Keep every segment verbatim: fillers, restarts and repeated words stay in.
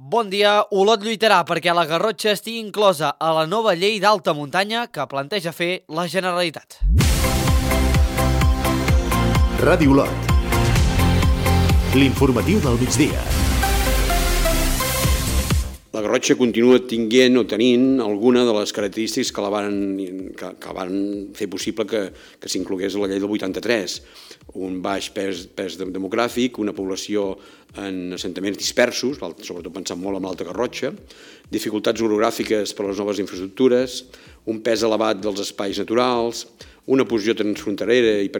Bon dia. Olot lluitarà perquè la Garrotxa estigui inclosa a la nova llei d'alta muntanya que planteja fer la Generalitat. Ràdio Olot. L'informatiu del migdia. La Garrotxa continua tinguent o tenint alguna de les característiques que la van, que, que van fer possible que, que s'inclogués a la llei del vuitanta-tres. Un baix pes, pes demogràfic, una població en assentaments dispersos, sobretot pensant molt en l'Alta Garrotxa, dificultats orogràfiques per a les noves infraestructures, un pes elevat dels espais naturals, una posició transfronterera i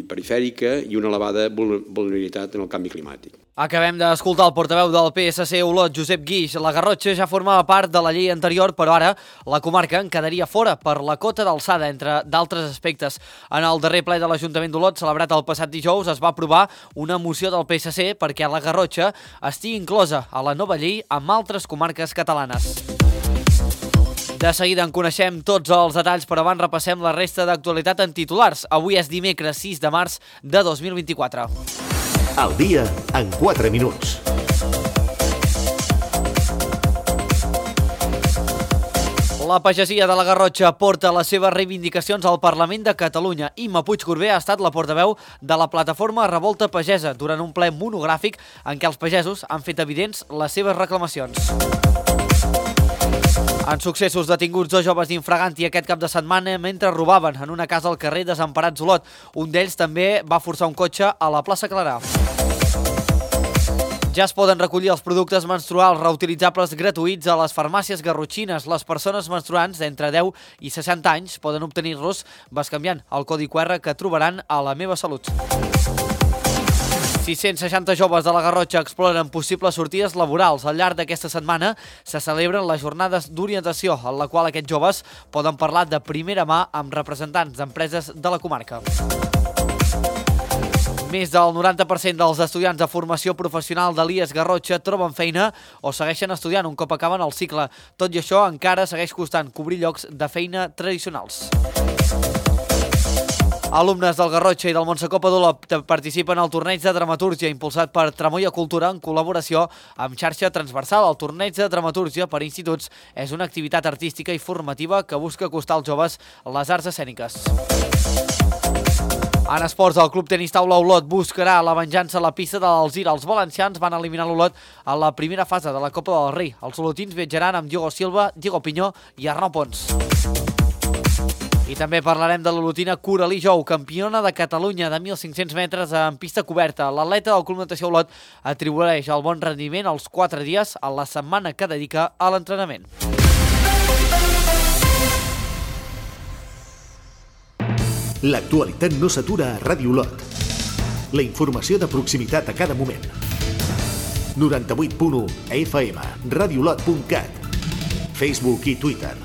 perifèrica i una elevada vulnerabilitat en el canvi climàtic. Acabem d'escoltar el portaveu del P S C Olot, Josep Guix. La Garrotxa ja formava part de la llei anterior, però ara la comarca en quedaria fora per la cota d'alçada, entre d'altres aspectes. En el darrer ple de l'Ajuntament d'Olot, celebrat el passat dijous, es va aprovar una moció del P S C perquè la Garrotxa estigui inclosa a la nova llei amb altres comarques catalanes. De seguida en coneixem tots els detalls, però abans repassem la resta d'actualitat en titulars. Avui és dimecres sis de març de dos mil vint-i-quatre. El dia en quatre minuts. La pagesia de la Garrotxa porta les seves reivindicacions al Parlament de Catalunya. Imma Puigcorbé ha estat la portaveu de la plataforma Revolta Pagesa durant un ple monogràfic en què els pagesos han fet evidents les seves reclamacions. En successos, detinguts dos joves d'infraganti aquest cap de setmana mentre robaven en una casa al carrer Desemparats Olot. Un d'ells també va forçar un cotxe a la plaça Clarà. Ja es poden recollir els productes menstruals reutilitzables gratuïts a les farmàcies garrotxines. Les persones menstruants d'entre deu i seixanta anys poden obtenir-los bescanviant el codi Q R que trobaran a La Meva Salut. sis-cents seixanta joves de la Garrotxa exploren possibles sortides laborals. Al llarg d'aquesta setmana se celebren les jornades d'orientació, en la qual aquests joves poden parlar de primera mà amb representants d'empreses de la comarca. Més del noranta per cent dels estudiants de formació professional de l'I E S Garrotxa troben feina o segueixen estudiant un cop acaben el cicle. Tot i això, encara segueix costant cobrir llocs de feina tradicionals. Alumnes del Garrotxa i del Montsecopa d'Olot participen al torneig de dramatúrgia impulsat per Tramoia Cultura en col·laboració amb xarxa transversal. El torneig de dramatúrgia per instituts és una activitat artística i formativa que busca acostar als joves les arts escèniques. En esports, el Club Tenis Taula Olot buscarà la venjança a la pista de l'Alzira. Els valencians van eliminar l'Olot a la primera fase de la Copa del Rei. Els olotins viatjaran amb Diego Silva, Diego Pinyó i Arnau Pons. I també parlarem de l'olotina Coralí Jou, campiona de Catalunya de mil cinc-cents metres en pista coberta. L'atleta del Club Natació Olot atribueix el bon rendiment als quatre dies a la setmana que dedica a l'entrenament. L'actualitat no s'atura a Ràdio Olot. La informació de proximitat a cada moment. noranta-vuit punt u F M, radiolot punt cat, Facebook i Twitter.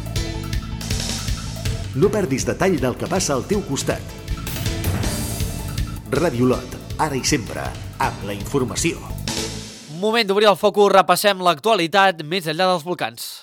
No perdis detall del que passa al teu costat. Ràdio Olot, ara i sempre, amb la informació. Moment d'obrir el focus, repassem l'actualitat més enllà dels volcans.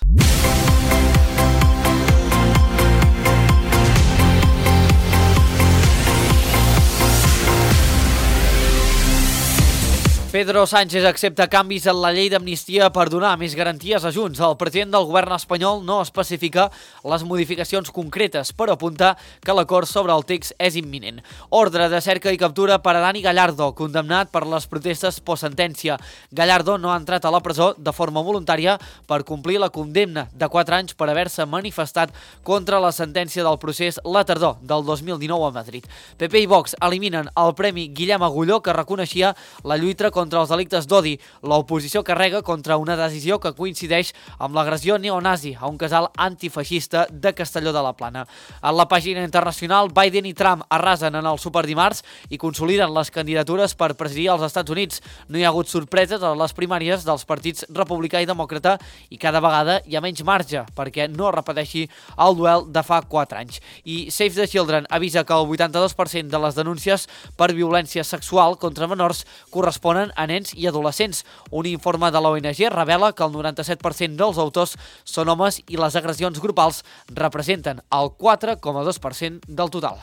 Pedro Sánchez accepta canvis en la llei d'amnistia per donar més garanties a Junts. El president del govern espanyol no especifica les modificacions concretes, però apunta que l'acord sobre el text és imminent. Ordre de cerca i captura per a Dani Gallardo, condemnat per les protestes postsentència. Gallardo no ha entrat a la presó de forma voluntària per complir la condemna de quatre anys per haver-se manifestat contra la sentència del procés la tardor del dos mil dinou a Madrid. P P i Vox eliminen el Premi Guillem Agulló, que reconeixia la lluita contra els delictes d'odi. L'oposició carrega contra una decisió que coincideix amb l'agressió neonazi a un casal antifeixista de Castelló de la Plana. A la pàgina internacional, Biden i Trump arrasen en el superdimarts i consoliden les candidatures per presidir els Estats Units. No hi ha hagut sorpreses a les primàries dels partits republicà i demòcrata i cada vegada hi ha menys marge perquè no repeteixi el duel de fa quatre anys. I Save the Children avisa que el vuitanta-dos per cent de les denúncies per violència sexual contra menors corresponen a nens i adolescents. Un informe de l'O N G revela que el noranta-set per cent dels autors són homes i les agressions grupals representen el quatre coma dos per cent del total.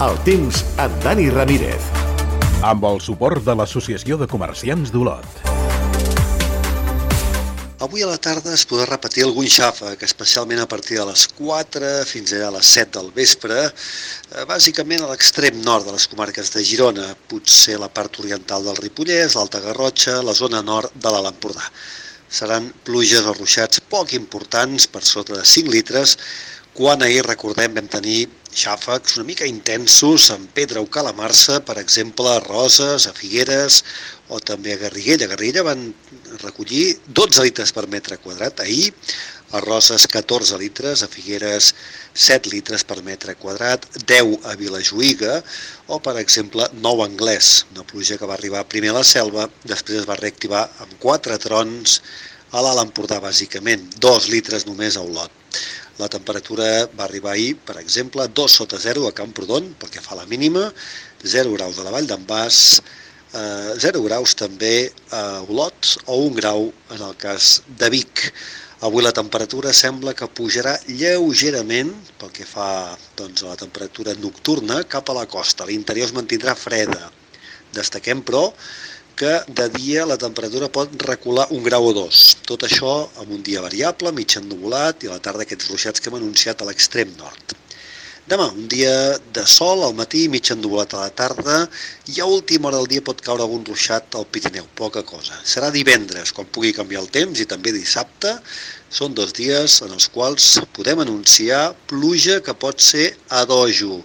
El temps amb Dani Ramírez. Amb el suport de l'Associació de Comerciants d'Olot. Avui a la tarda es podrà repetir algun xàfec, especialment a partir de les quatre fins a les set del vespre, bàsicament a l'extrem nord de les comarques de Girona, potser la part oriental del Ripollès, l'Alta Garrotxa, la zona nord de l'Alt Empordà. Seran pluges o ruixats poc importants, per sota de cinc litres, quan ahir, recordem, vam tenir xàfecs una mica intensos en Pedra o Calamarsa, per exemple, a Roses, a Figueres o també a Garriguella. A Garriguella van recollir dotze litres per metre quadrat ahir, a Roses catorze litres, a Figueres set litres per metre quadrat, deu a Vilajuïga o, per exemple, nou a Anglès, una pluja que va arribar primer a la Selva, després es va reactivar amb quatre trons a l'Alt Empordà, bàsicament, dos litres només a Olot. La temperatura va arribar ahir, per exemple, dos sota zero a Camprodon, pel que fa a la mínima, zero graus a la Vall d'en Bas, eh, zero graus també a Olot o un grau en el cas de Vic. Avui la temperatura sembla que pujarà lleugerament pel que fa doncs, a la temperatura nocturna cap a la costa. L'interior es mantindrà freda. Destaquem, però, que de dia la temperatura pot recular un grau o dos. Tot això amb un dia variable, mig ennuvolat, i a la tarda aquests ruixats que hem anunciat a l'extrem nord. Demà, un dia de sol al matí, mig ennuvolat a la tarda, i a última hora del dia pot caure algun ruixat al Pirineu, poca cosa. Serà divendres, quan pugui canviar el temps, i també dissabte. Són dos dies en els quals podem anunciar pluja que pot ser a dojo,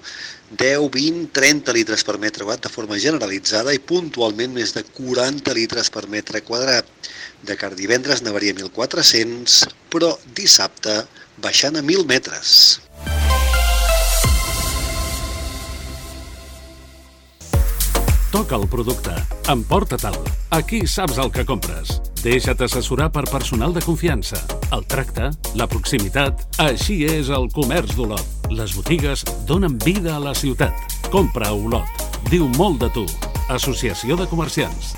deu, vint, trenta litres per metre quadrat de forma generalitzada i puntualment més de quaranta litres per metre quadrat. De cara a divendres n'hauria mil quatre-cents, però dissabte baixant a mil metres. Toca el producte. Emporta-te'l. Aquí saps el que compres. Deixa't assessorar per personal de confiança. El tracte, la proximitat... Així és el comerç d'Olot. Les botigues donen vida a la ciutat. Compra a Olot. Diu molt de tu. Associació de Comerciants.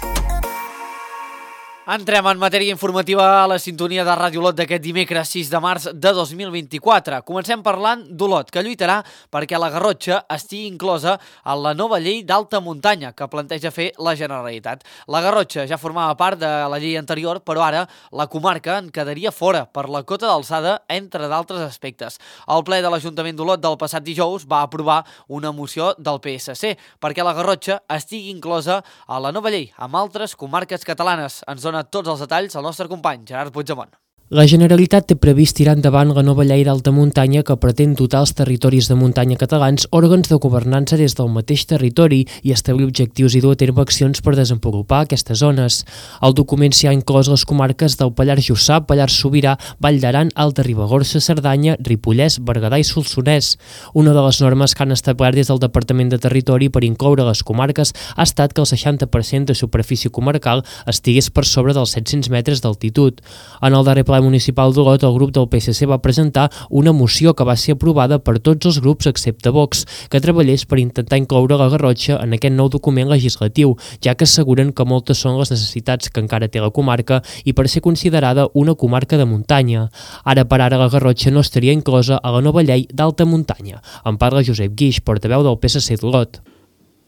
Entrem en matèria informativa a la sintonia de Ràdio Olot d'aquest dimecres sis de març de dos mil vint-i-quatre. Comencem parlant d'Olot, que lluitarà perquè la Garrotxa estigui inclosa en la nova llei d'alta muntanya que planteja fer la Generalitat. La Garrotxa ja formava part de la llei anterior, però ara la comarca en quedaria fora per la cota d'alçada, entre d'altres aspectes. El ple de l'Ajuntament d'Olot del passat dijous va aprovar una moció del P S C perquè la Garrotxa estigui inclosa a la nova llei amb altres comarques catalanes. Ens dona tots els detalls el nostre company Gerard Puigdemont. La Generalitat té previst tirar endavant la nova llei d'alta muntanya que pretén dotar els territoris de muntanya catalans òrgans de governança des del mateix territori i establir objectius i dur a terme accions per desenvolupar aquestes zones. El document s'hi ha inclòs les comarques del Pallars Jussà, Pallars Sobirà, Vall d'Aran, Alta Ribagorça, Cerdanya, Ripollès, Berguedà i Solsonès. Una de les normes que han establert des del Departament de Territori per incloure les comarques ha estat que el seixanta per cent de superfície comarcal estigués per sobre dels set-cents metres d'altitud. En el darrer ple municipal d'Olot, el grup del P S C va presentar una moció que va ser aprovada per tots els grups excepte Vox, que treballés per intentar incloure la Garrotxa en aquest nou document legislatiu, ja que asseguren que moltes són les necessitats que encara té la comarca i per ser considerada una comarca de muntanya. Ara per ara la Garrotxa no estaria inclosa a la nova llei d'alta muntanya. En parla Josep Guix, portaveu del P S C d'Olot.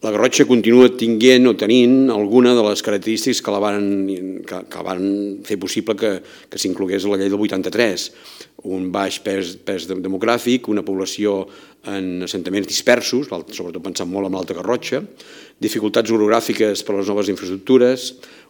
La Garrotxa continua tinguent o tenint alguna de les característiques que la van, que, que van fer possible que, que s'inclogués a la llei del vuitanta-tres. Un baix pes, pes demogràfic, una població en assentaments dispersos, sobretot pensant molt en l'Alta Garrotxa, dificultats orogràfiques per a les noves infraestructures,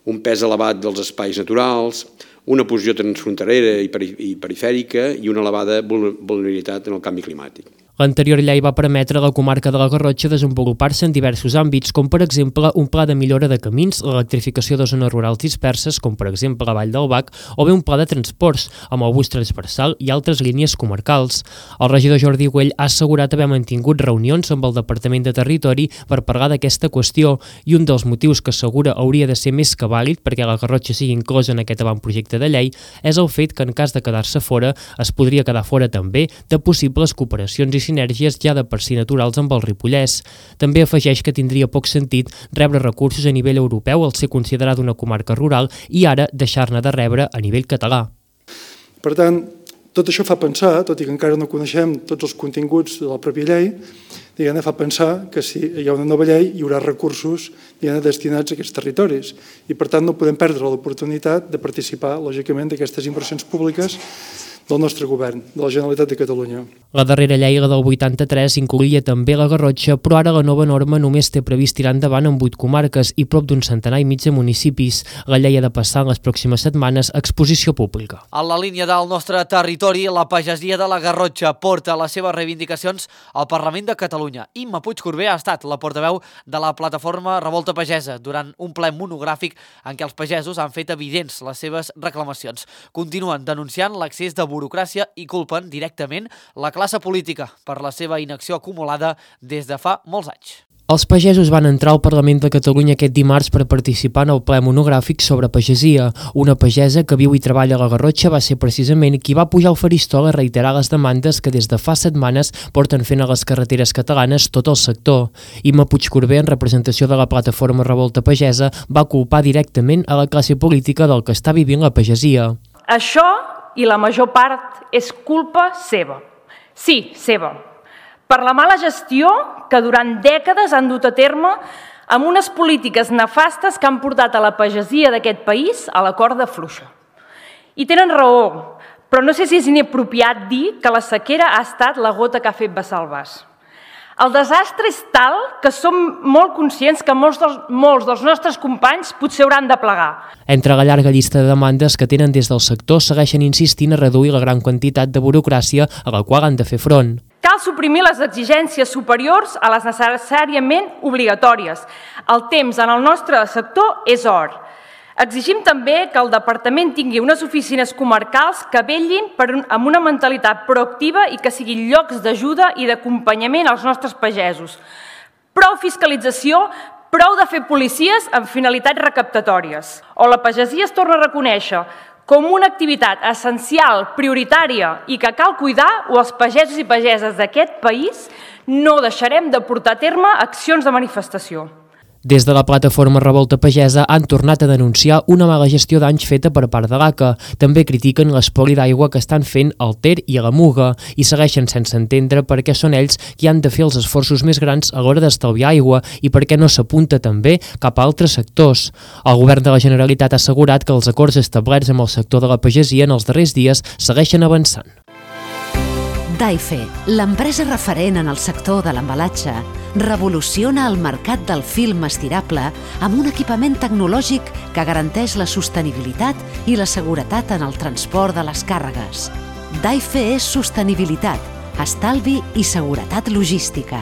un pes elevat dels espais naturals, una posició transfronterera i perifèrica i una elevada vulnerabilitat en el canvi climàtic. L'anterior llei va permetre a la comarca de la Garrotxa desenvolupar-se en diversos àmbits, com per exemple un pla de millora de camins, l'electrificació de zones rurals disperses, com per exemple la Vall del Bac, o bé un pla de transports, amb el bus transversal i altres línies comarcals. El regidor Jordi Güell ha assegurat haver mantingut reunions amb el Departament de Territori per parlar d'aquesta qüestió, i un dels motius que assegura hauria de ser més que vàlid perquè la Garrotxa sigui inclosa en aquest avantprojecte de llei és el fet que en cas de quedar-se fora es podria quedar fora també de possibles cooperacions i sinergies ja de per si naturals amb el Ripollès. També afegeix que tindria poc sentit rebre recursos a nivell europeu al ser considerada una comarca rural i ara deixar-ne de rebre a nivell català. Per tant, tot això fa pensar, tot i que encara no coneixem tots els continguts de la pròpia llei, diguem-ne, fa pensar que si hi ha una nova llei hi haurà recursos diguem-ne, destinats a aquests territoris i per tant no podem perdre l'oportunitat de participar, lògicament, d'aquestes inversions públiques del nostre govern, de la Generalitat de Catalunya. La darrera llei, la del vuitanta-tres, incloïa també la Garrotxa, però ara la nova norma només té previst tirar endavant en vuit comarques i prop d'un centenar i mig de municipis. La llei ha de passar en les pròximes setmanes a exposició pública. En la línia del nostre territori, la pagesia de la Garrotxa porta les seves reivindicacions al Parlament de Catalunya. Imma Puigcorbé ha estat la portaveu de la plataforma Revolta Pagesa durant un ple monogràfic en què els pagesos han fet evidents les seves reclamacions. Continuen denunciant l'accés de burocràcia i culpen directament la classe política per la seva inacció acumulada des de fa molts anys. Els pagesos van entrar al Parlament de Catalunya aquest dimarts per participar en el ple monogràfic sobre pagesia. Una pagesa que viu i treballa a la Garrotxa va ser precisament qui va pujar al faristol a reiterar les demandes que des de fa setmanes porten fent a les carreteres catalanes tot el sector. Imma Puigcorbé, en representació de la plataforma Revolta Pagesa, va culpar directament a la classe política del que està vivint la pagesia. Això i la major part és culpa seva. Sí, seva. Per la mala gestió que durant dècades han dut a terme amb unes polítiques nefastes que han portat a la pagesia d'aquest país a la corda fluixa. I tenen raó, però no sé si és inapropiat dir que la sequera ha estat la gota que ha fet vessar el vas. El desastre és tal que som molt conscients que molts dels, molts dels nostres companys potser hauran de plegar. Entre la llarga llista de demandes que tenen des del sector, segueixen insistint a reduir la gran quantitat de burocràcia a la qual han de fer front. Cal suprimir les exigències superiors a les necessàriament obligatòries. El temps en el nostre sector és or. Exigim també que el Departament tingui unes oficines comarcals que vetllin per un, amb una mentalitat proactiva i que siguin llocs d'ajuda i d'acompanyament als nostres pagesos. Prou fiscalització, prou de fer policies amb finalitats recaptatòries. O la pagesia es torna a reconèixer com una activitat essencial, prioritària i que cal cuidar, o els pagesos i pageses d'aquest país no deixarem de portar a terme accions de manifestació. Des de la plataforma Revolta Pagesa han tornat a denunciar una mala gestió d'anys feta per part de l'A C A. També critiquen l'espoli d'aigua que estan fent al Ter i a la Muga i segueixen sense entendre per què són ells qui han de fer els esforços més grans a l'hora d'estalviar aigua i per què no s'apunta també cap a altres sectors. El govern de la Generalitat ha assegurat que els acords establerts amb el sector de la pagesia en els darrers dies segueixen avançant. Daife, l'empresa referent en el sector de l'embalatge, revoluciona el mercat del film estirable amb un equipament tecnològic que garanteix la sostenibilitat i la seguretat en el transport de les càrregues. Daife és sostenibilitat, estalvi i seguretat logística.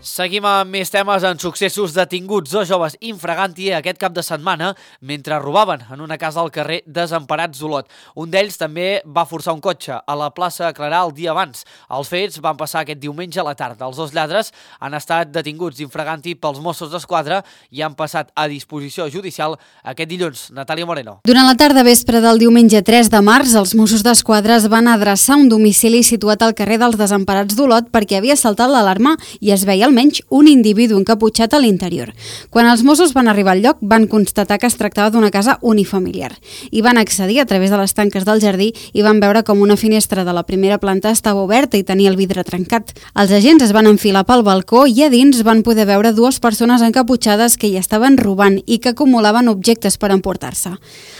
Seguim amb més temes en successos. Detinguts dos joves infraganti aquest cap de setmana mentre robaven en una casa al carrer Desemparats d'Olot. Un d'ells també va forçar un cotxe a la plaça Clarà el dia abans. Els fets van passar aquest diumenge a la tarda. Els dos lladres han estat detinguts infraganti pels Mossos d'Esquadra i han passat a disposició judicial aquest dilluns. Natàlia Moreno. Durant la tarda vespre del diumenge tres de març, els Mossos d'Esquadra es van adreçar un domicili situat al carrer dels Desemparats d'Olot perquè havia saltat l'alarma i es veia almenys un individu encaputxat a l'interior. Quan els Mossos van arribar al lloc, van constatar que es tractava d'una casa unifamiliar i van accedir a través de les tanques del jardí i van veure com una finestra de la primera planta estava oberta i tenia el vidre trencat. Els agents es van enfilar pel balcó i a dins van poder veure dues persones encaputxades que hi estaven robant i que acumulaven objectes per emportar-se.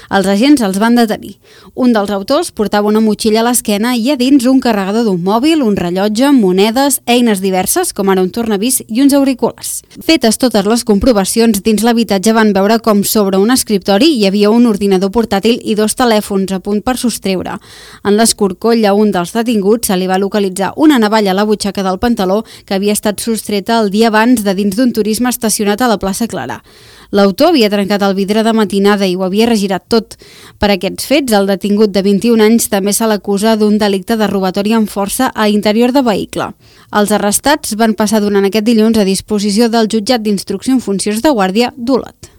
Els agents els van detenir. Un dels autors portava una motxilla a l'esquena i a dins un carregador d'un mòbil, un rellotge, monedes, eines diverses, com ara un tornavís i uns auriculars. Fetes totes les comprovacions, dins l'habitatge van veure com sobre un escriptori hi havia un ordinador portàtil i dos telèfons a punt per sostreure. En l'escorcoll a un dels detinguts se li va localitzar una navalla a la butxaca del pantaló que havia estat sostreta el dia abans de dins d'un turisme estacionat a la plaça Clarà. L'autor havia trencat el vidre de matinada i ho havia regirat tot. Per aquests fets, el detingut de vint-i-un anys també se l'acusa d'un delicte de robatori amb força a l'interior de vehicle. Els arrestats van passar durant aquest dilluns a disposició del jutjat d'instrucció en funcions de guàrdia d'Olot.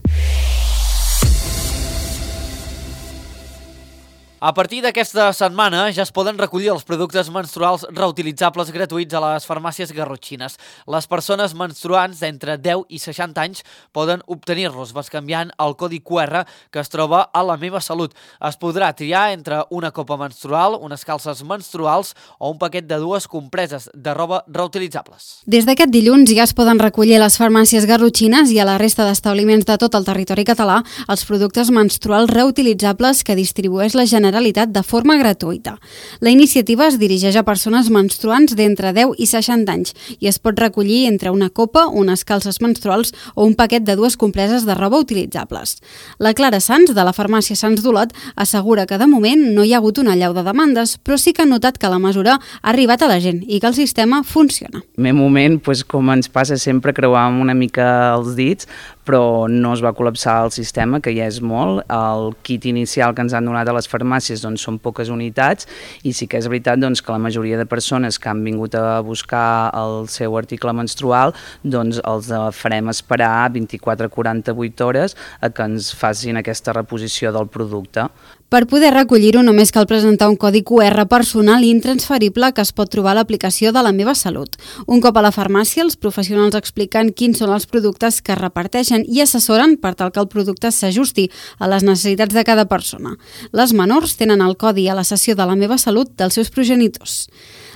A partir d'aquesta setmana ja es poden recollir els productes menstruals reutilitzables gratuïts a les farmàcies garrotxines. Les persones menstruants d'entre deu i seixanta anys poden obtenir-los bescanviant el codi cu erre que es troba a La Meva Salut. Es podrà triar entre una copa menstrual, unes calces menstruals o un paquet de dues compreses de roba reutilitzables. Des d'aquest dilluns ja es poden recollir a les farmàcies garrotxines i a la resta d'establiments de tot el territori català els productes menstruals reutilitzables que distribueix la Generalitat de forma gratuïta. La iniciativa es dirigeix a persones menstruants d'entre deu i seixanta anys i es pot recollir entre una copa, unes calces menstruals o un paquet de dues compreses de roba utilitzables. La Clara Sans, de la farmàcia Sans d'Olot, assegura que de moment no hi ha hagut una allau de demandes, però sí que ha notat que la mesura ha arribat a la gent i que el sistema funciona. En un moment, doncs, com ens passa sempre, creuàvem una mica els dits, però no es va col·lapsar el sistema, que ja és molt. El kit inicial que ens han donat a les farmàcies doncs, són poques unitats i sí que és veritat doncs, que la majoria de persones que han vingut a buscar el seu article menstrual doncs, els farem esperar vint-i-quatre a quaranta-vuit hores a que ens facin aquesta reposició del producte. Per poder recollir-ho només cal presentar un codi cu erre personal i intransferible que es pot trobar a l'aplicació de La Meva Salut. Un cop a la farmàcia, els professionals expliquen quins són els productes que reparteixen i assessoren per tal que el producte s'ajusti a les necessitats de cada persona. Les menors tenen el codi a la sessió de La Meva Salut dels seus progenitors.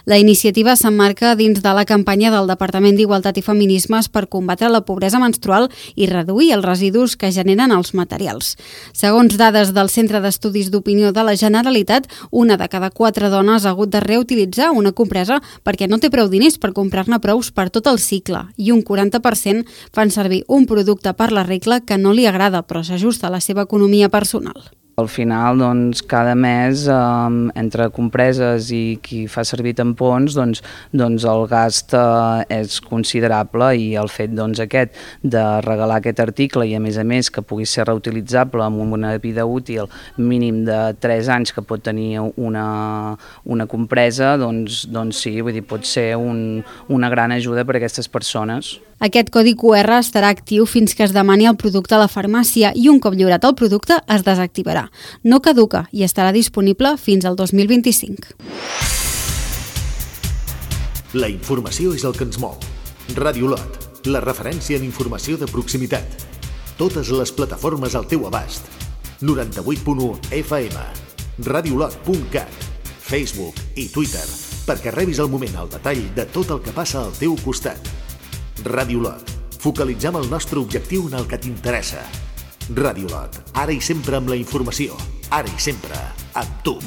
La iniciativa s'emmarca dins de la campanya del Departament d'Igualtat i Feminismes per combatre la pobresa menstrual i reduir els residus que generen els materials. Segons dades del Centre d'Estudis d'Opinió de la Generalitat, una de cada quatre dones ha hagut de reutilitzar una compresa perquè no té prou diners per comprar-ne prous per tot el cicle i un quaranta per cent fan servir un producte per la regla que no li agrada però s'ajusta a la seva economia personal. Al final, doncs, cada mes, eh, entre compreses i qui fa servir tampons, doncs, doncs el gast eh, és considerable i el fet doncs, aquest de regalar aquest article i a més a més que pugui ser reutilitzable amb una vida útil mínim de tres anys que pot tenir una, una compresa, doncs, doncs sí, vull dir, pot ser un, una gran ajuda per a aquestes persones. Aquest codi cu erre estarà actiu fins que es demani el producte a la farmàcia i un cop lliurat el producte es desactivarà. No caduca i estarà disponible fins al dos mil vint-i-cinc. La informació és el que ens mou. Ràdio Olot, la referència en informació de proximitat. Totes les plataformes al teu abast. noranta-vuit punt u efa ema, radiolot punt cat, Facebook i Twitter, perquè rebis al moment el detall de tot el que passa al teu costat. Ràdio Olot, focalitzem el nostre objectiu en el que t'interessa. Ràdio Olot, ara i sempre amb la informació, ara i sempre amb tu.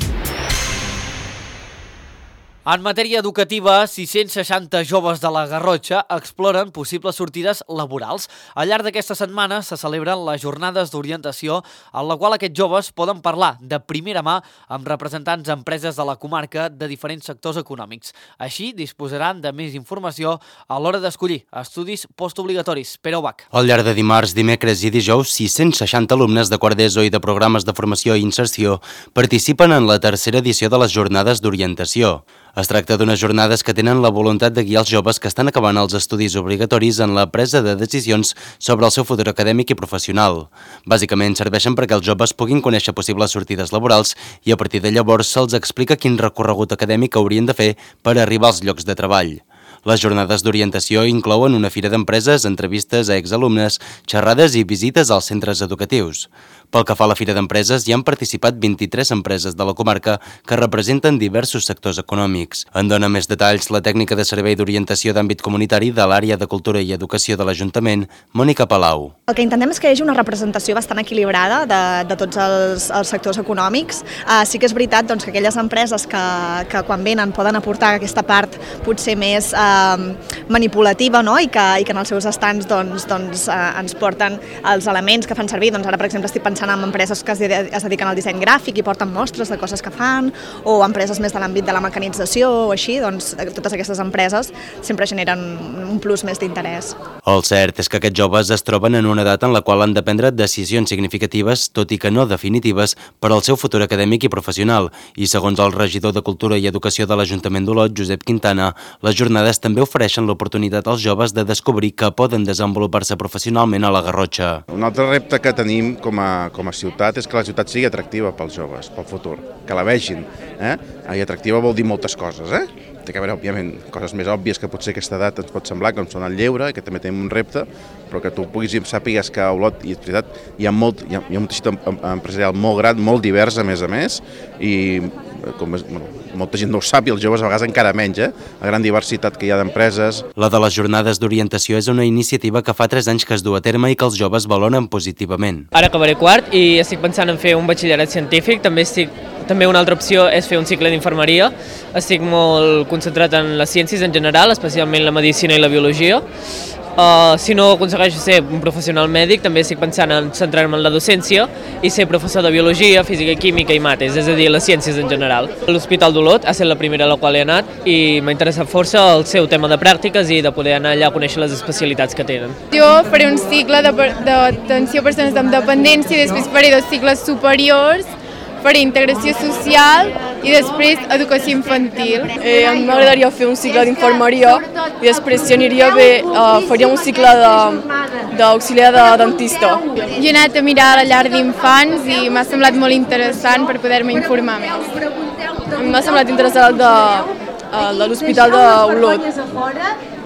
En matèria educativa, sis-cents seixanta joves de la Garrotxa exploren possibles sortides laborals. Al llarg d'aquesta setmana se celebren les jornades d'orientació en la qual aquests joves poden parlar de primera mà amb representants d'empreses de la comarca de diferents sectors econòmics. Així disposaran de més informació a l'hora d'escollir estudis postobligatoris. Pere Ubach. Al llarg de dimarts, dimecres i dijous, sis-cents seixanta alumnes de quart d'ESO i de programes de formació i inserció participen en la tercera edició de les jornades d'orientació. Es tracta d'unes jornades que tenen la voluntat de guiar els joves que estan acabant els estudis obligatoris en la presa de decisions sobre el seu futur acadèmic i professional. Bàsicament serveixen perquè els joves puguin conèixer possibles sortides laborals i a partir de llavors se'ls explica quin recorregut acadèmic haurien de fer per arribar als llocs de treball. Les jornades d'orientació inclouen una fira d'empreses, entrevistes a exalumnes, xerrades i visites als centres educatius. Pel que fa a la fira d'empreses, hi han participat vint-i-tres empreses de la comarca que representen diversos sectors econòmics. En dona més detalls la tècnica de servei d'orientació d'àmbit comunitari de l'àrea de Cultura i Educació de l'Ajuntament, Mònica Palau. El que intentem és que hi hagi una representació bastant equilibrada de, de tots els, els sectors econòmics. Uh, sí que és veritat doncs, que aquelles empreses que, que quan venen poden aportar aquesta part potser més uh, manipulativa, no? I, que, i que en els seus estants doncs, doncs, uh, ens porten els elements que fan servir. Doncs ara, per exemple, estic pensant en empreses que es dediquen al disseny gràfic i porten mostres de coses que fan, o empreses més de l'àmbit de la mecanització o així, doncs totes aquestes empreses sempre generen un plus més d'interès. El cert és que aquests joves es troben en una edat en la qual han de prendre decisions significatives, tot i que no definitives, per al seu futur acadèmic i professional, i segons el regidor de Cultura i Educació de l'Ajuntament d'Olot, Josep Quintana, les jornades també ofereixen l'oportunitat als joves de descobrir que poden desenvolupar-se professionalment a la Garrotxa. Un altre repte que tenim com a, com a ciutat és que la ciutat sigui atractiva pels joves, pel futur, que la vegin. Eh? I atractiva vol dir moltes coses, eh? Té que haver, òbviament, coses més òbvies que potser a aquesta edat ens pot semblar, com són el lleure, que també tenim un repte, però que tu puguis i sàpigues que a Olot, i és veritat, hi ha, molt, hi ha, hi ha un teixit empresarial molt gran, molt divers, a més a més, i com és, bueno, molta gent no ho sap i els joves a vegades encara menys, eh? La gran diversitat que hi ha d'empreses. La de les jornades d'orientació és una iniciativa que fa tres anys que es du a terme i que els joves valoren positivament. Ara acabaré quart i estic pensant en fer un batxillerat científic, també estic També una altra opció és fer un cicle d'infermeria. Estic molt concentrat en les ciències en general, especialment la medicina i la biologia. Uh, si no aconsegueixo ser un professional mèdic, també estic pensant en centrar-me en la docència i ser professor de biologia, física, química i mates, és a dir, les ciències en general. L'Hospital d'Olot ha estat la primera a la qual he anat i m'ha interessat força el seu tema de pràctiques i de poder anar allà a conèixer les especialitats que tenen. Jo faré un cicle d'atenció a persones amb dependència i després faré dos cicles superiors, faré integració social i després educació infantil. Eh, a mi m'agradaria fer un cicle d'infermeria i després si aniria bé eh, faria un cicle d'auxiliar de, de dentista. Jo he anat a mirar la llar d'infants i m'ha semblat molt interessant per poder-me informar més. A mi m'ha semblat interessant el de, el de l'Hospital d'Olot.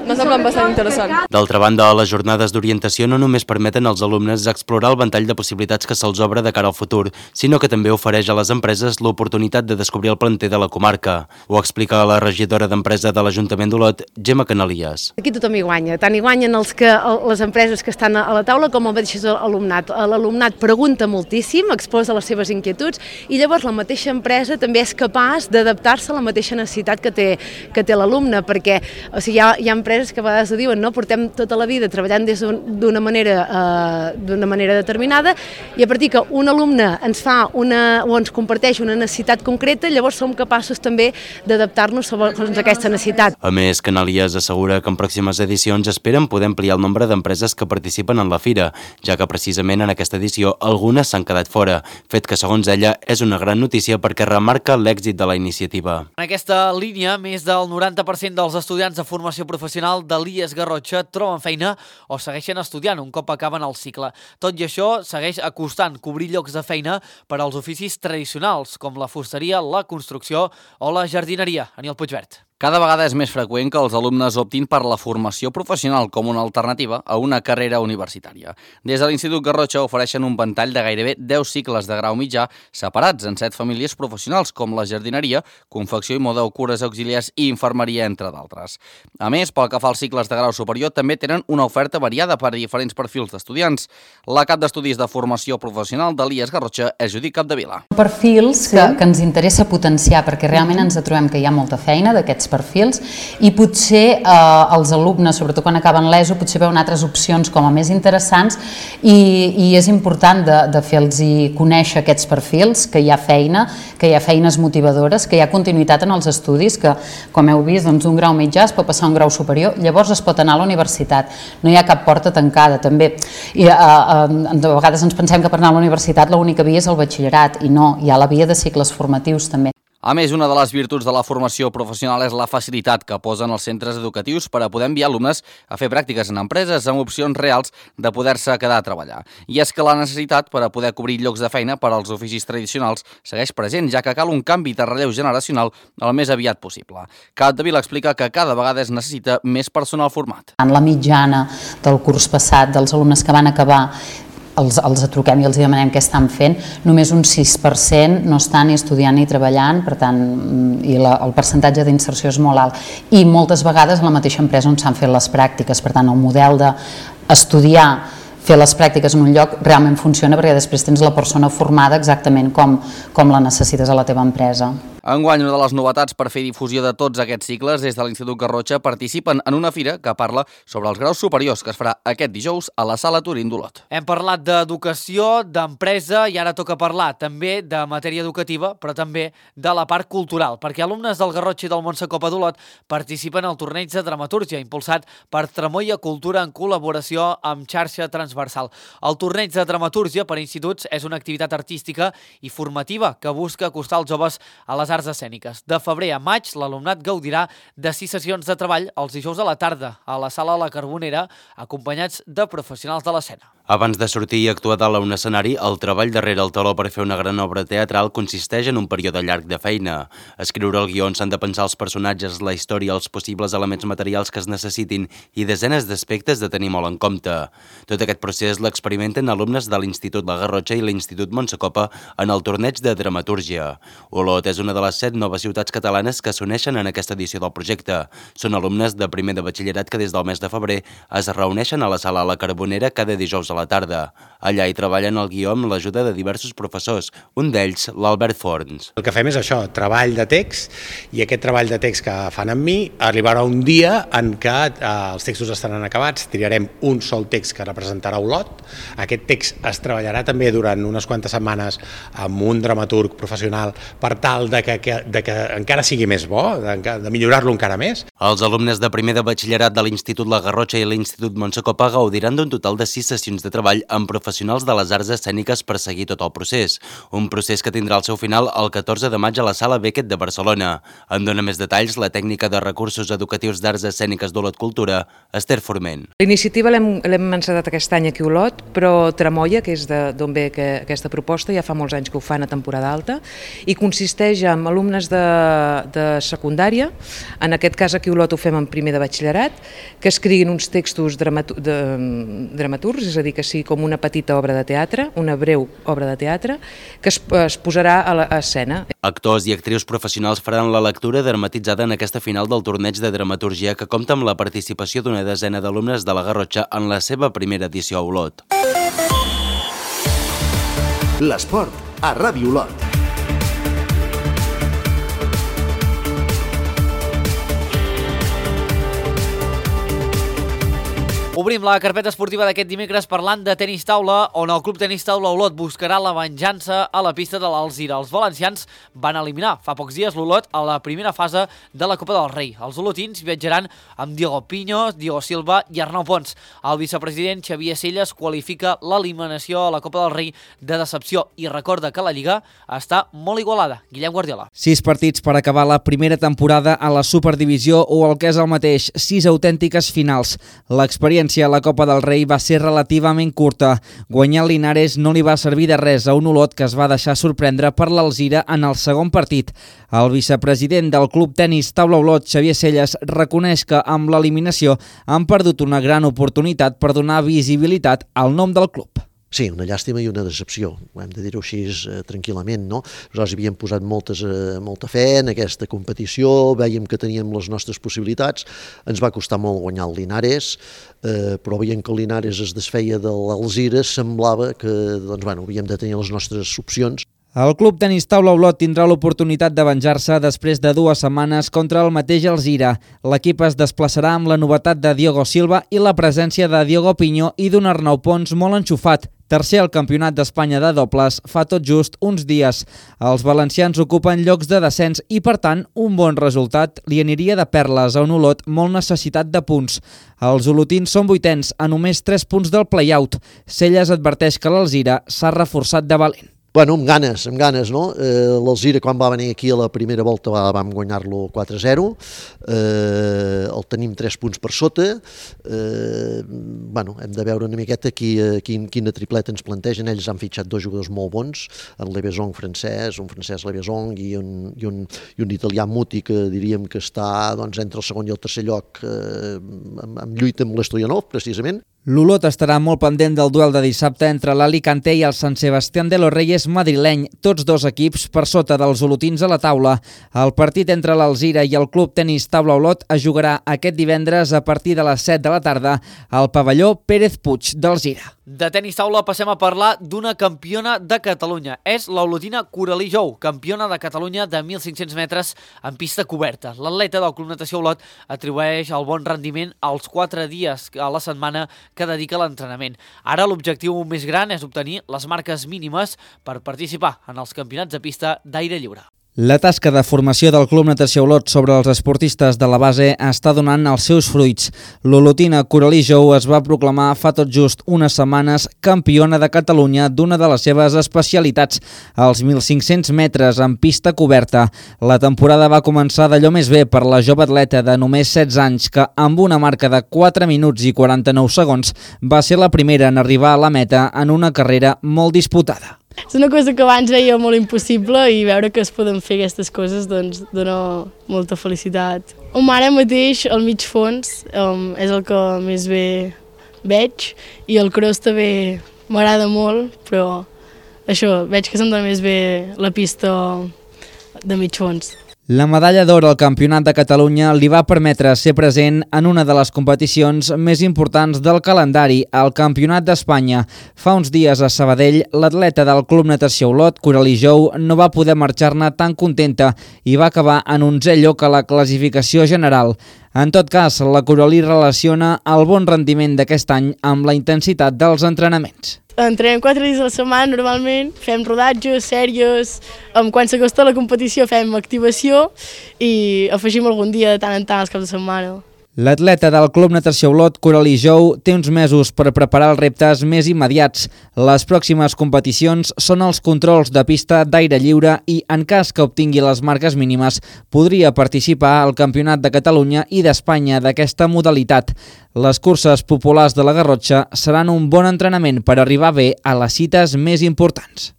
M'ha semblat bastant interessant. D'altra banda, les jornades d'orientació no només permeten als alumnes explorar el ventall de possibilitats que se'ls obre de cara al futur, sinó que també ofereix a les empreses l'oportunitat de descobrir el planter de la comarca. Ho explica la regidora d'Empresa de l'Ajuntament d'Olot, Gemma Canalies. Aquí tothom hi guanya, tant hi guanyen els que, les empreses que estan a la taula com el mateix alumnat. L'alumnat pregunta moltíssim, exposa les seves inquietuds i llavors la mateixa empresa també és capaç d'adaptar-se a la mateixa necessitat que té, que té l'alumne, perquè o sigui, hi ha, hi ha empreses que a vegades ho diuen, no? Portem tota la vida treballant des d'una manera, eh, d'una manera determinada i a partir que un alumne ens fa una, o ens comparteix una necessitat concreta, llavors som capaços també d'adaptar-nos segons aquesta necessitat. A més, Canalies assegura que en pròximes edicions esperen poder ampliar el nombre d'empreses que participen en la fira, ja que precisament en aquesta edició algunes s'han quedat fora, fet que segons ella és una gran notícia perquè remarca l'èxit de la iniciativa. En aquesta línia, més del noranta per cent dels estudiants de formació professional de l'I E S Garrotxa troben feina o segueixen estudiant un cop acaben el cicle. Tot i això, segueix acostant cobrir llocs de feina per als oficis tradicionals, com la fusteria, la construcció o la jardineria. Aniel Puigvert. Cada vegada és més freqüent que els alumnes optin per la formació professional com una alternativa a una carrera universitària. Des de l'Institut Garrotxa ofereixen un ventall de gairebé deu cicles de grau mitjà separats en set famílies professionals com la jardineria, confecció i moda o cures auxiliars i infermeria, entre d'altres. A més, pel que fa als cicles de grau superior, també tenen una oferta variada per a diferents perfils d'estudiants. La cap d'estudis de formació professional de l'I E S Garrotxa és Judit Capdevila. Perfils que, que ens interessa potenciar perquè realment ens trobem que hi ha molta feina d'aquests perfils i potser eh, els alumnes, sobretot quan acaben l'ESO, potser veuen altres opcions com a més interessants i, i és important de, de fer-los conèixer aquests perfils, que hi ha feina, que hi ha feines motivadores, que hi ha continuïtat en els estudis, que com heu vist, doncs, un grau mitjà es pot passar a un grau superior, llavors es pot anar a la universitat, no hi ha cap porta tancada també. I, eh, eh, de vegades ens pensem que per anar a la universitat l'única via és el batxillerat i no, hi ha la via de cicles formatius també. A més, una de les virtuts de la formació professional és la facilitat que posen els centres educatius per a poder enviar alumnes a fer pràctiques en empreses amb opcions reals de poder-se quedar a treballar. I és que la necessitat per a poder cobrir llocs de feina per als oficis tradicionals segueix present, ja que cal un canvi de relleu generacional el més aviat possible. Capdevila explica que cada vegada es necessita més personal format. En la mitjana del curs passat dels alumnes que van acabar els, els truquem i els demanem què estan fent, només un sis per cent no estan ni estudiant ni treballant, per tant, i la, el percentatge d'inserció és molt alt. I moltes vegades a la mateixa empresa on s'han fet les pràctiques, per tant, el model d'estudiar, fer les pràctiques en un lloc realment funciona perquè després tens la persona formada exactament com, com la necessites a la teva empresa. Enguany, una de les novetats per fer difusió de tots aquests cicles des de l'Institut Garrotxa participen en una fira que parla sobre els graus superiors que es farà aquest dijous a la Sala Turín d'Olot. Hem parlat d'educació, d'empresa i ara toca parlar també de matèria educativa, però també de la part cultural, perquè alumnes del Garrotxa i del Montsecopa d'Olot participen al torneig de dramatúrgia impulsat per Tramoia Cultura en col·laboració amb Xarxa Transversal. El torneig de dramatúrgia per instituts és una activitat artística i formativa que busca acostar els joves a les arts escèniques. De febrer a maig, l'alumnat gaudirà de sis sessions de treball els dijous a la tarda a la Sala La Carbonera, acompanyats de professionals de l'escena. Abans de sortir i actuar dalt a un escenari, el treball darrere el teló per fer una gran obra teatral consisteix en un període llarg de feina. Escriure el guió on s'han de pensar els personatges, la història, els possibles elements materials que es necessitin i desenes d'aspectes de tenir molt en compte. Tot aquest procés l'experimenten alumnes de l'Institut La Garrotxa i l'Institut Montsecopa en el torneig de dramatúrgia. Olot és una de les set noves ciutats catalanes que s'uneixen en aquesta edició del projecte. Són alumnes de primer de batxillerat que des del mes de febrer es reuneixen a la Sala La Carbonera cada dijous a la tarda. Allà hi treballen el guió amb l'ajuda de diversos professors, un d'ells l'Albert Forns. El que fem és això, treball de text, i aquest treball de text que fan amb mi arribarà un dia en què eh, els textos estaran acabats, triarem un sol text que representarà Olot. Aquest text es treballarà també durant unes quantes setmanes amb un dramaturg professional per tal de que, que, de que encara sigui més bo, de, de millorar-lo encara més. Els alumnes de primer de batxillerat de l'Institut La Garrotxa i l'Institut Montsecopa gaudiran d'un total de sis sessions de treball amb professionals de les arts escèniques per seguir tot el procés. Un procés que tindrà el seu final el catorze de maig a la Sala Beckett de Barcelona. En dona més detalls la tècnica de recursos educatius d'arts escèniques d'Olot Cultura, Esther Forment. La iniciativa l'hem encetat aquest any aquí a Olot, però Tremolla, que és d'on ve que, aquesta proposta, ja fa molts anys que ho fan a temporada alta, i consisteix en alumnes de, de secundària, en aquest cas aquí a Olot ho fem en primer de batxillerat, que escriguin uns textos dramatu de, dramaturgs, és a dir, que sigui com una petita obra de teatre, una breu obra de teatre, que es, es posarà a l'escena. Actors i actrius professionals faran la lectura dramatitzada en aquesta final del torneig de dramaturgia que compta amb la participació d'una desena d'alumnes de la Garrotxa en la seva primera edició a Olot. L'esport a Ràdio Olot. Obrim la carpeta esportiva d'aquest dimecres parlant de tenis taula, on el Club Tenis Taula Olot buscarà la venjança a la pista de l'Alzira. Els valencians van eliminar fa pocs dies l'Olot a la primera fase de la Copa del Rei. Els olotins viatjaran amb Diego Piño, Diego Silva i Arnau Pons. El vicepresident Xavier Selles qualifica l'eliminació a la Copa del Rei de decepció i recorda que la Lliga està molt igualada. Guillem Guardiola. Sis partits per acabar la primera temporada a la Superdivisió o el que és el mateix, sis autèntiques finals. L'experiència a la Copa del Rei va ser relativament curta. Guanyar el Linares no li va servir de res a un Olot que es va deixar sorprendre per l'Alzira en el segon partit. El vicepresident del Club Tenis Taula Olot, Xavier Selles, reconeix que amb l'eliminació han perdut una gran oportunitat per donar visibilitat al nom del club. Sí, una llàstima i una decepció, hem de dir-ho així eh, tranquil·lament, no? Nosaltres havíem posat moltes, eh, molta fe en aquesta competició, vèiem que teníem les nostres possibilitats, ens va costar molt guanyar el Linares, eh, però veient que el Linares es desfeia de l'Alzira, semblava que doncs, bueno, havíem de tenir les nostres opcions. El Club Tenis Taula Olot tindrà l'oportunitat de venjar-se després de dues setmanes contra el mateix Alzira. L'equip es desplaçarà amb la novetat de Diego Silva i la presència de Diego Piño i d'un Arnau Pons molt enxufat. Tercer al Campionat d'Espanya de dobles fa tot just uns dies. Els valencians ocupen llocs de descens i, per tant, un bon resultat li aniria de perles a un Olot molt necessitat de punts. Els olotins són vuitens a només tres punts del play-out. Selles adverteix que l'Alzira s'ha reforçat de valent. Bueno, amb ganes, amb ganes, no? Eh, L'Alzira, quan va venir aquí a la primera volta, va, vam guanyar-lo quatre a zero, eh, el tenim tres punts per sota, eh, bueno, hem de veure una miqueta qui, quin, quina tripleta ens plantegen. Ells han fitxat dos jugadors molt bons, en Levesong francès, un francès Levesong i un, i un, i un italià Muti, que diríem que està doncs, entre el segon i el tercer lloc eh, en, en lluita amb l'Stoyanov, precisament. L'Olot estarà molt pendent del duel de dissabte entre l'Alicante i el Sant Sebastián de los Reyes madrileny, tots dos equips per sota dels olotins a la taula. El partit entre l'Alzira i el Club Tenis Taula Olot es jugarà aquest divendres a partir de les set de la tarda al pavelló Pérez Puig d'Alzira. De tenis taula passem a parlar d'una campiona de Catalunya. És l'olotina Coralí Jou, campiona de Catalunya de mil cinc-cents metres en pista coberta. L'atleta del Club Natació Olot atribueix el bon rendiment als quatre dies a la setmana que dedica a l'entrenament. Ara l'objectiu més gran és obtenir les marques mínimes per participar en els campionats de pista d'aire lliure. La tasca de formació del Club Natació Olot sobre els esportistes de la base està donant els seus fruits. L'olotina Coralí Jou es va proclamar fa tot just unes setmanes campiona de Catalunya d'una de les seves especialitats, els mil cinc-cents metres en pista coberta. La temporada va començar d'allò més bé per la jove atleta de només setze anys que, amb una marca de quatre minuts i quaranta-nou segons, va ser la primera en arribar a la meta en una carrera molt disputada. És una cosa que abans veia molt impossible i veure que es poden fer aquestes coses doncs dona molta felicitat. Um, ara mateix el mig fons um, és el que més bé veig i el cross també m'agrada molt, però això, veig que se'm dona més bé la pista de mig fons. La medalla d'or al Campionat de Catalunya li va permetre ser present en una de les competicions més importants del calendari, el Campionat d'Espanya. Fa uns dies a Sabadell, l'atleta del Club Natació Olot, Coralí Jou, no va poder marxar-ne tan contenta i va acabar en onzè lloc a la classificació general. En tot cas, la Coralí relaciona el bon rendiment d'aquest any amb la intensitat dels entrenaments. Entrenem quatre dies a la setmana normalment, fem rodatges, sèries, quan s'acosta la competició fem activació i afegim algun dia de tant en tant als caps de setmana. L'atleta del Club Natació Olot, Coralí Jou, té uns mesos per preparar els reptes més immediats. Les pròximes competicions són els controls de pista d'aire lliure i, en cas que obtingui les marques mínimes, podria participar al Campionat de Catalunya i d'Espanya d'aquesta modalitat. Les curses populars de la Garrotxa seran un bon entrenament per arribar bé a les cites més importants.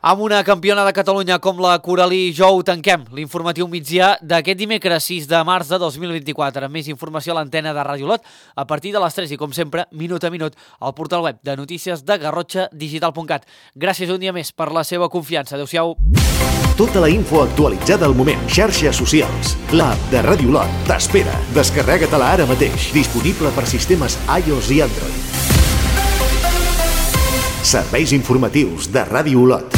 Amb una campiona de Catalunya com la Coralí Jou tanquem l'informatiu migdia d'aquest dimecres sis de març de dos mil vint-i-quatre. Més informació a l'antena de Ràdio Olot a partir de les tres i, com sempre, minut a minut, al portal web de notícies de garrotxa digital punt cat. Gràcies un dia més per la seva confiança. Adéu-siau. Tota la info actualitzada al moment. Xarxes socials. L'app de Ràdio Olot t'espera. Descarrega-te-la ara mateix. Disponible per sistemes iOS i Android. Serveis informatius de Ràdio Olot.